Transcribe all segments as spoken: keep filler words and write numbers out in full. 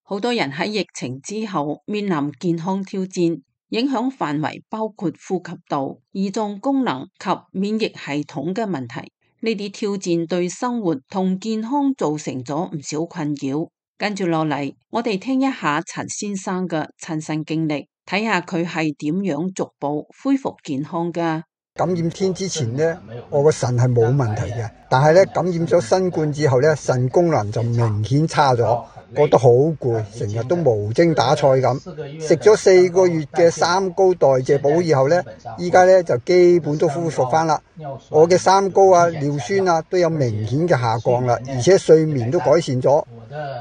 好多人喺疫情之後面臨健康挑戰，影響範圍包括呼吸道、胰臟功能及免疫系統嘅問題。呢啲挑戰對生活同健康造成咗唔少困擾。跟住落嚟，我哋聽一下陳先生嘅親身經歷，睇下佢係點樣逐步恢復健康㗎。感染天之前呢，我個腎係冇問題嘅，但係咧感染咗新冠之後咧，腎功能就明顯差咗，覺得好攰，成日都無精打采咁。食咗四個月嘅三高代謝補以後咧，依家咧就基本都恢復翻啦。我嘅三高啊、尿酸啊都有明顯嘅下降啦，而且睡眠都改善咗，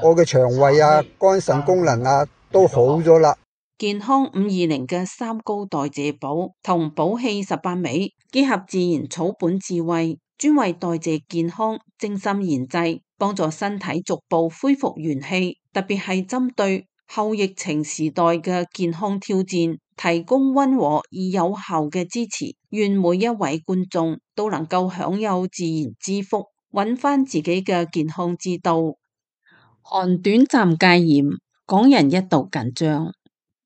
我嘅腸胃啊、肝腎功能啊都好咗啦。健康五二零嘅三高代謝補同補氣十八味結合自然草本智慧，專為代謝健康精心研製，幫助身體逐步恢復元氣，特別係針對後疫情時代嘅健康挑戰，提供溫和而有效嘅支持。願每一位觀眾都能夠享有自然之福，揾翻自己嘅健康之道。韓短暫戒嚴，港人一度緊張。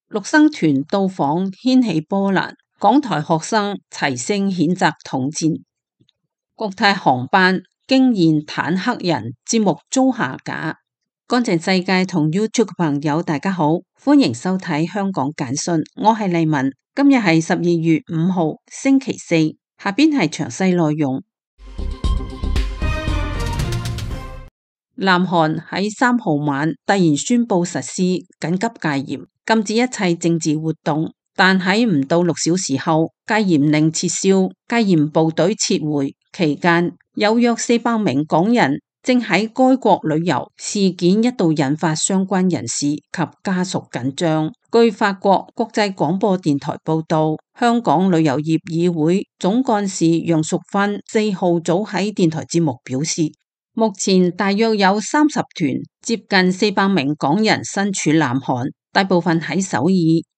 陸生團到訪掀起波瀾，港台學生齊聲譴責統戰。國泰航班驚現坦克人節目遭下架。乾淨世界同 YouTube 嘅朋友大家好，歡迎收睇香港簡訊，我係麗文。今日係十二月五號星期四，下邊係詳細內容。南韓喺三號晚突然宣布實施緊急戒嚴，禁止一切政治活動，但喺唔到六小時後，戒嚴令撤銷，戒嚴部隊撤回期間，有約四百名港人正喺該國旅遊，事件一度引發相關人士及家屬緊張。據法國國際廣播電台報道，香港旅遊業議會總幹事楊淑芬四號早喺電台節目表示，目前大約有三十團，接近四百名港人身處南韓，大部分喺首爾，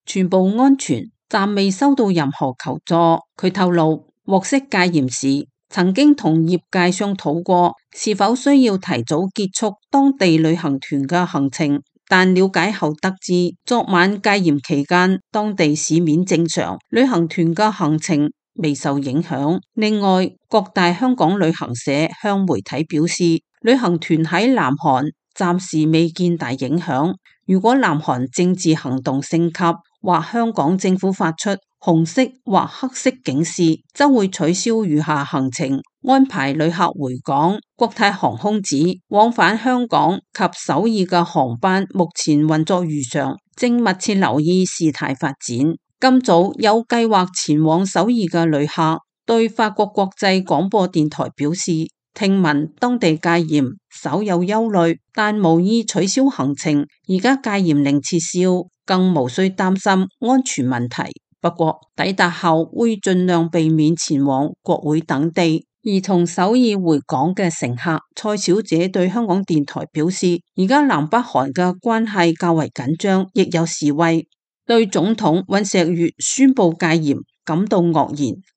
全部安全，暫未收到任何求助。佢透露，獲悉戒嚴時，曾經同業界商討過是否需要提早結束當地旅行團嘅行程，但了解後得知，昨晚戒嚴期間，當地市面正常，旅行團嘅行程未受影響。另外，各大香港旅行社向媒體表示，旅行團喺南韓暫時未見大影響。如果南韓政治行動升級，或香港政府發出紅色或黑色警示，則會取消餘下行程，安排旅客回港。國泰航空指往返香港及首爾嘅航班目前運作如常，正密切留意事態發展。今早有計劃前往首爾嘅旅客對法國國際廣播電台表示，聽聞當地戒嚴，稍有憂慮，但無意取消行程。而家戒嚴令撤銷，更無需擔心安全問題。不過抵達後會盡量避免前往國會等地。而從首爾回港嘅乘客蔡小姐對香港電台表示，而家南北韓嘅關係較為緊張，亦有示威。對總統尹錫悅宣布戒嚴感到愕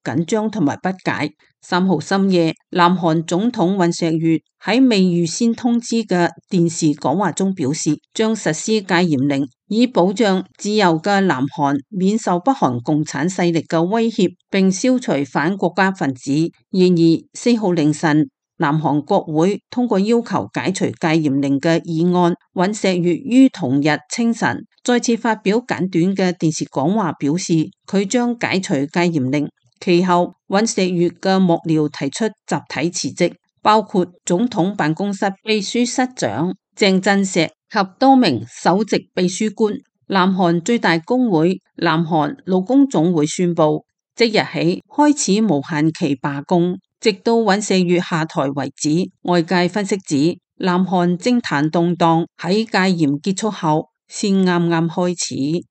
然、緊張同埋不解。三號深夜，南韓總統尹錫悅喺未預先通知嘅電視講話中表示，將實施戒嚴令，以保障自由嘅南韓免受北韓共產勢力嘅威脅，並消除反國家分子。然而，四號凌晨，南韓國會通過要求解除戒嚴令嘅議案。尹錫悅於同日清晨再次發表簡短嘅電視講話，表示佢將解除戒嚴令。其後，尹錫悅嘅幕僚提出集體辭職，包括總統辦公室秘書室長鄭振石及多名首席秘書官。南韓最大工會南韓勞工總會宣布，即日起開始無限期罷工，直到尹錫悅下台為止。外界分析指，南韓政壇動盪喺戒嚴結束後先啱啱開始。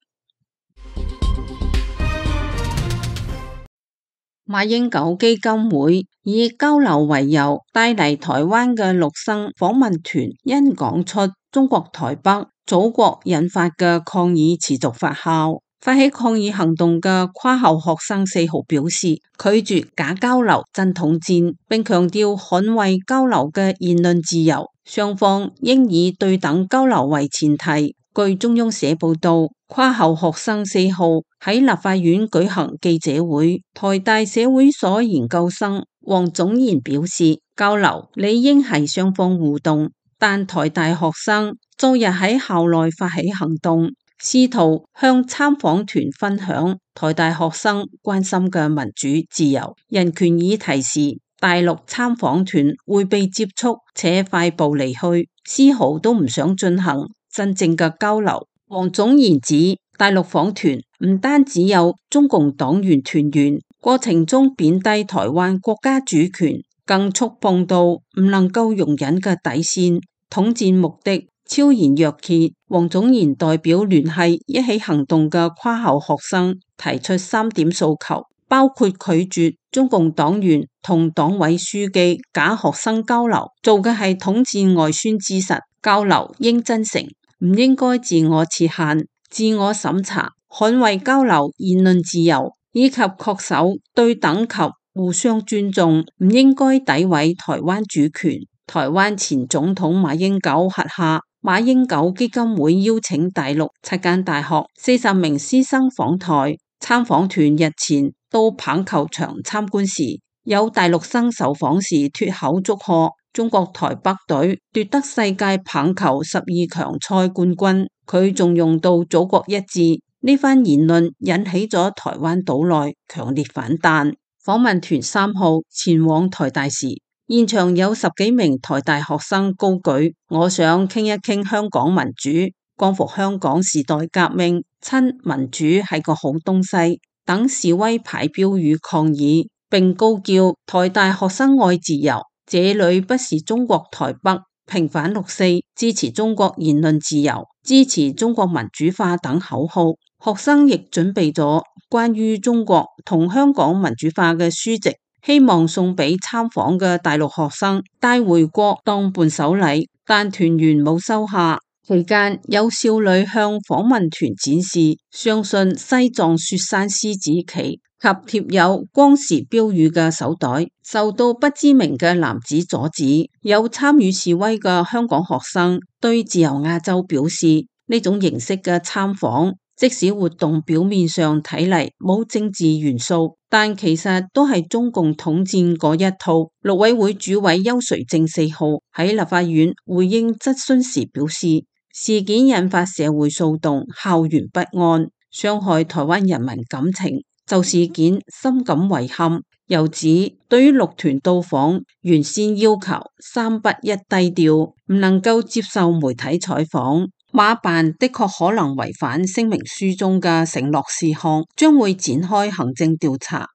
馬英九基金會以交流為由，帶嚟台灣嘅陸生訪問團，因講出中國台北祖國引發嘅抗議持續發酵。發起抗議行動嘅跨校學生四號表示，拒絕假交流真統戰，並強調捍衛交流嘅言論自由，雙方應以對等交流為前提。據中央社報道，跨校學生四號喺立法院舉行記者會，台大社會所研究生黃種賢表示，交流理應係雙方互動，但台大學生昨日喺校內發起行動，試圖向參訪團分享台大學生關心嘅民主、自由、人權議題時，大陸參訪團會被接觸且快步離去，絲毫都唔想進行真正嘅交流。黃種賢指，大陸訪團唔單只有中共黨員團員，過程中貶低台灣國家主權，更觸碰到唔能夠容忍嘅底線，統戰目的昭然若揭。黃種賢代表聯繫一起行動嘅跨校學生提出三點訴求，包括拒絕中共黨員同黨委書記假學生交流，做嘅係統戰外宣之實，交流應真誠，唔應該自我設限、自我審查，捍衛交流言論自由，以及恪守對等及互相尊重，唔應該詆毀台灣主權。台灣前總統馬英九轄下馬英九基金會邀請大陸七間大學四十名師生訪台，參訪團日前到棒球場參觀時，有大陸生受訪時脫口祝賀中國台北隊奪得世界棒球十二強賽冠軍，佢仲用到祖國一致，呢番言論引起咗台灣島內強烈反彈。訪問團三號前往台大時，現場有十幾名台大學生高舉我想傾一傾香港民主，光復香港時代革命，親民主係個好東西等示威牌標語抗議，並高叫台大學生愛自由，這裏不是中國台北，平反六四，支持中國言論自由，支持中國民主化等口號。學生亦準備咗關於中國同香港民主化嘅書籍，希望送俾參訪嘅大陸學生帶回國當伴手禮，但團員冇收下。期間有少女向訪問團展示相信西藏雪山獅子旗及貼有光時標語嘅手袋，受到不知名嘅男子阻止。有參與示威嘅香港學生對自由亞洲表示，呢種形式嘅參訪，即使活動表面上睇嚟冇政治元素，但其實都係中共統戰嗰一套。陸委會主委邱垂正四號喺立法院回應質詢時表示，事件引發社會騷動、校園不安，傷害台灣人民感情，就事件深感遺憾。又指對於陸團到訪，原先要求三不一低調，唔能夠接受媒體採訪。馬辦的確可能違反聲明書中嘅承諾事項，將會展開行政調查。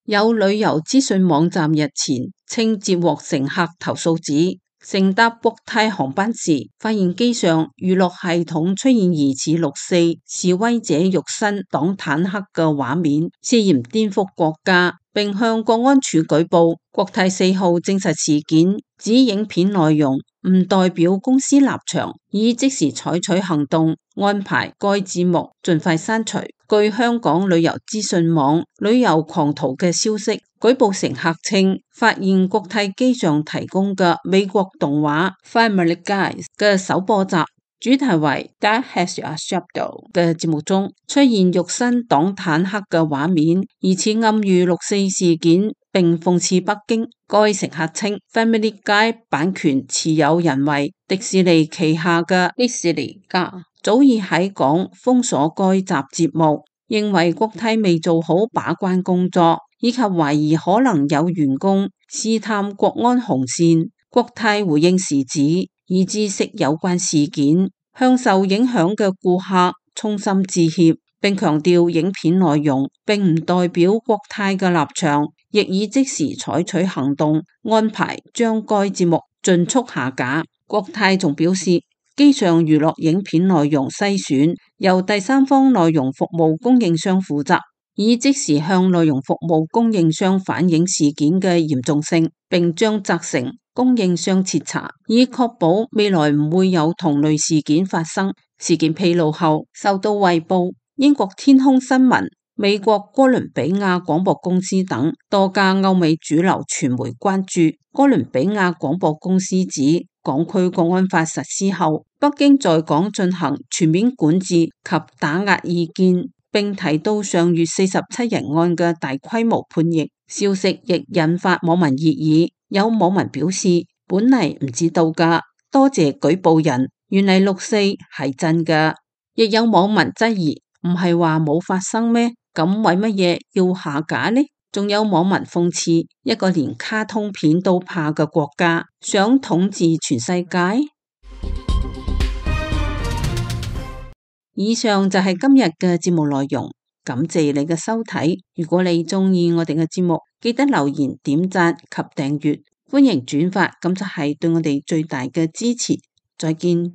有旅遊資訊網站日前稱接獲乘客投訴指，乘搭國泰航班時，發現機上娛樂系統出現疑似六四示威者肉身擋坦克嘅畫面，涉嫌顛覆國家，並向國安處舉報。國泰四號證實事件，指影片內容唔代表公司立場，已即時採取行動，安排該節目盡快刪除。據香港旅遊資訊網旅遊狂徒嘅消息，舉報乘客稱發現國泰機上提供嘅美國動畫 Family Guy 嘅首播集，主題為 That Has a Shadow 嘅節目中出現肉身擋坦克嘅畫面，疑似暗喻六四事件，並諷刺北京。該乘客稱 Family Guy 版權持有人為迪士尼旗下嘅迪士尼家，早已喺港封鎖該集節目，認為國泰未做好把關工作，以及懷疑可能有員工試探國安紅線。國泰回應時指，已知悉有關事件，向受影響嘅顧客衷心致歉，並強調影片內容並唔代表國泰嘅立場，亦已即時採取行動，安排將該節目盡速下架。國泰仲表示，機上娛樂影片內容篩選由第三方內容服務供應商負責，已即時向內容服務供應商反映事件嘅嚴重性，並將責成供應商徹查，以確保未來唔會有同類事件發生。事件披露後，受到衛報、英國天空新聞、美國哥倫比亞廣播公司等多家歐美主流傳媒關注。哥倫比亞廣播公司指，港區國安法實施後，北京在港進行全面管治及打壓意見，並提到上月四十七人案嘅大規模判刑。消息亦引發網民熱議，有網民表示本嚟唔知道㗎，多謝舉報人，原嚟六四係真㗎。亦有網民質疑，唔係話冇發生咩？咁為乜嘢要下架呢？仲有網民諷刺，一個連卡通片都怕嘅國家，想統治全世界？以上就係今日嘅節目內容，感謝你嘅收睇。如果你中意我哋嘅節目，記得留言、點讚及訂閱，歡迎轉發，咁就係對我哋最大嘅支持。再見。